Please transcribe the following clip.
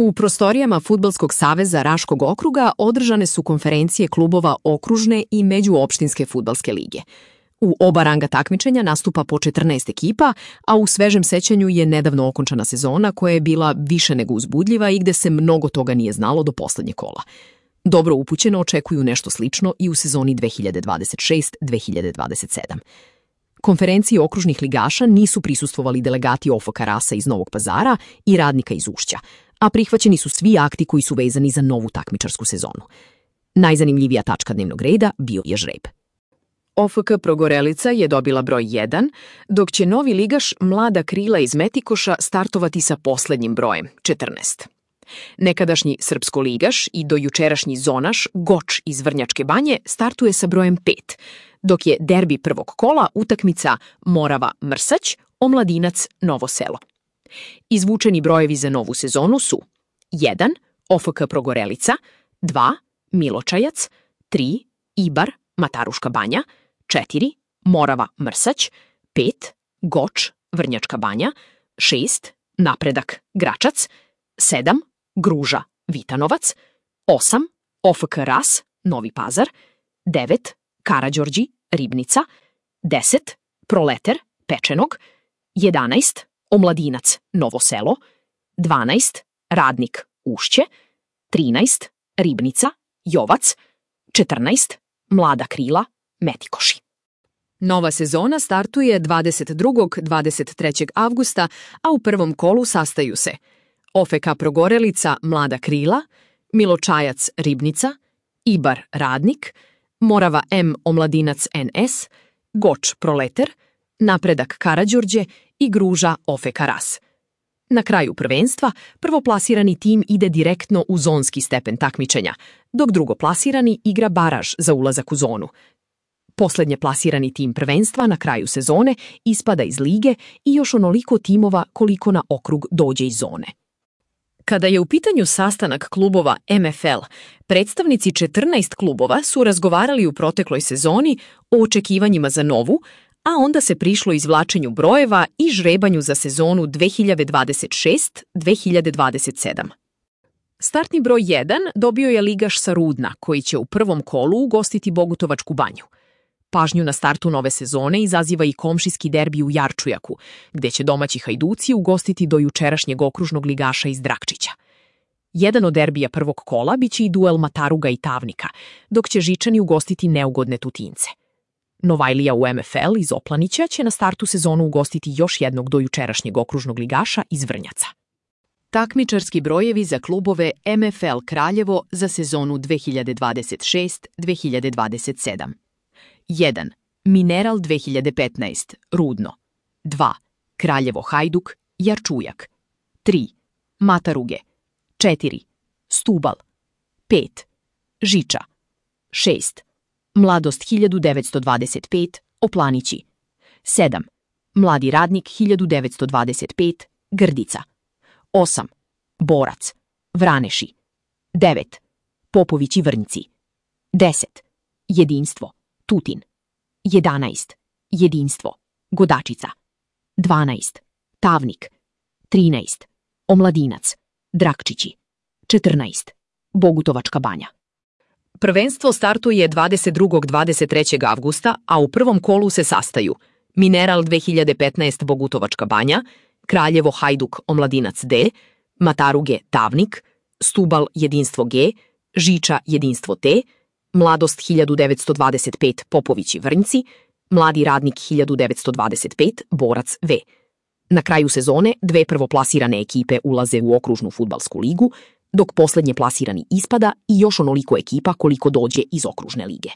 U prostorijama Fudbalskog saveza Raškog okruga održane su konferencije klubova okružne i međuopštinske fudbalske lige. U oba ranga takmičenja nastupa po 14 ekipa, a u svežem sećanju je nedavno okončana sezona koja je bila više nego uzbudljiva i gde se mnogo toga nije znalo do poslednjeg kola. Dobro upućeno očekuju nešto slično i u sezoni 2026-2027. Konferenciji okružnih ligaša nisu prisustvovali delegati OFK Rasa iz Novog Pazara i Radnika iz Ušća, a prihvaćeni su svi akti koji su vezani za novu takmičarsku sezonu. Najzanimljivija tačka dnevnog reda bio je žreb. OFK Progorelica je dobila broj 1, dok će novi ligaš Mlada Krila iz Metikoša startovati sa poslednjim brojem, 14. Nekadašnji srpsko-ligaš i dojučerašnji zonaš Goč iz Vrnjačke Banje startuje sa brojem 5, dok je derbi prvog kola utakmica Morava-Mrsać, Omladinac Novo Selo. Izvučeni brojevi za novu sezonu su 1. OFK Progorelica, 2. Miločajac, 3. Ibar, Mataruška Banja, 4. Morava-Mrsać, 5. Goč, Vrnjačka Banja, 6. Napredak, Gračac, 7. Gruža, Vitanovac, 8. OFK Ras, Novi Pazar, 9. Karađorđi, Ribnica, 10. Proleter, Pečenog, 11. Omladinac, Novo Selo, 12. Radnik, Ušće, 13. Ribnica, Jovac, 14. Mlada Krila, Metikoši. Nova sezona startuje 22. 23. avgusta, a u prvom kolu sastaju se OFK Progorelica, Mlada Krila, Miločajac, Ribnica, Ibar, Radnik, Morava M, Omladinac NS, Goč, Proleter, Napredak, Karađorđe i Gruža, OFK Ras. Na kraju prvenstva, prvoplasirani tim ide direktno u zonski stepen takmičenja, dok drugoplasirani igra baraž za ulazak u zonu. Poslednje plasirani tim prvenstva na kraju sezone ispada iz lige i još onoliko timova koliko na okrug dođe iz zone. Kada je u pitanju sastanak klubova MFL, predstavnici 14 klubova su razgovarali u protekloj sezoni o očekivanjima za novu, a onda se prišlo izvlačenju brojeva i žrebanju za sezonu 2026-2027. Startni broj 1 dobio je ligaš sa Rudna, koji će u prvom kolu ugostiti Bogutovačku banju. Pažnju na startu nove sezone izaziva i komšijski derbi u Jarčujaku, gde će domaći Hajduci ugostiti dojučerašnjeg okružnog ligaša iz Drakčića. Jedan od derbija prvog kola biće i duel Mataruga i Tavnika, dok će Žičani ugostiti neugodne Tutince. Novajlija u MFL iz Oplanića će na startu sezonu ugostiti još jednog dojučerašnjeg okružnog ligaša iz Vrnjaca. Takmičarski brojevi za klubove MFL Kraljevo za sezonu 2026-2027. 1. Mineral 2015, Rudno. 2. Kraljevo Hajduk, Jarčujak. 3. Mataruge. 4. Stubal. 5. Žiča. 6. Mladost 1925, Oplanići. 7. Mladi radnik 1925, Grdica. 8. Borac, Vraneši. 9. Popovići Vrnjci. 10. Jedinstvo, Tutin. 11. Jedinstvo, Godačica. 12. Tavnik. 13. Omladinac, Drakčići. 14. Bogutovačka banja. Prvenstvo startuje 22. 23. avgusta, a u prvom kolu se sastaju Mineral 2015 Bogutovačka banja, Kraljevo Hajduk Omladinac D, Mataruge Tavnik, Stubal Jedinstvo G, Žiča Jedinstvo T, Mladost 1925 Popovići Vrnjci, Mladi radnik 1925 Borac V. Na kraju sezone dve prvoplasirane ekipe ulaze u okružnu fudbalsku ligu, dok poslednje plasirani ispada i još onoliko ekipa koliko dođe iz okružne lige.